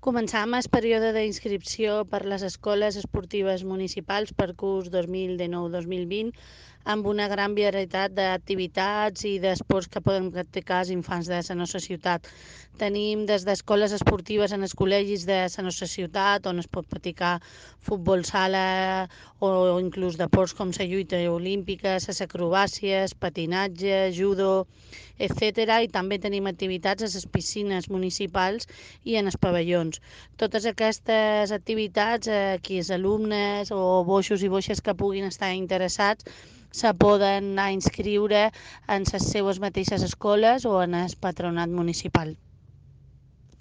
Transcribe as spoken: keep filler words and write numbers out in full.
Començam el període d'inscripció per les escoles esportives municipals per curs dos mil dinou dos mil vint amb una gran varietat d'activitats i d'esports que poden practicar els infants de la nostra ciutat. Tenim des d'escoles esportives en els col·legis de la nostra ciutat, on es pot practicar futbol sala o inclús deports com la lluita olímpica, les acrobàcies, patinatge, judo, etcètera. I també tenim activitats a les piscines municipals i en els pavellons. Totes aquestes activitats, eh, aquí els alumnes o boixos i boixes que puguin estar interessats se poden anar a inscriure en les seues mateixes escoles o en el patronat municipal.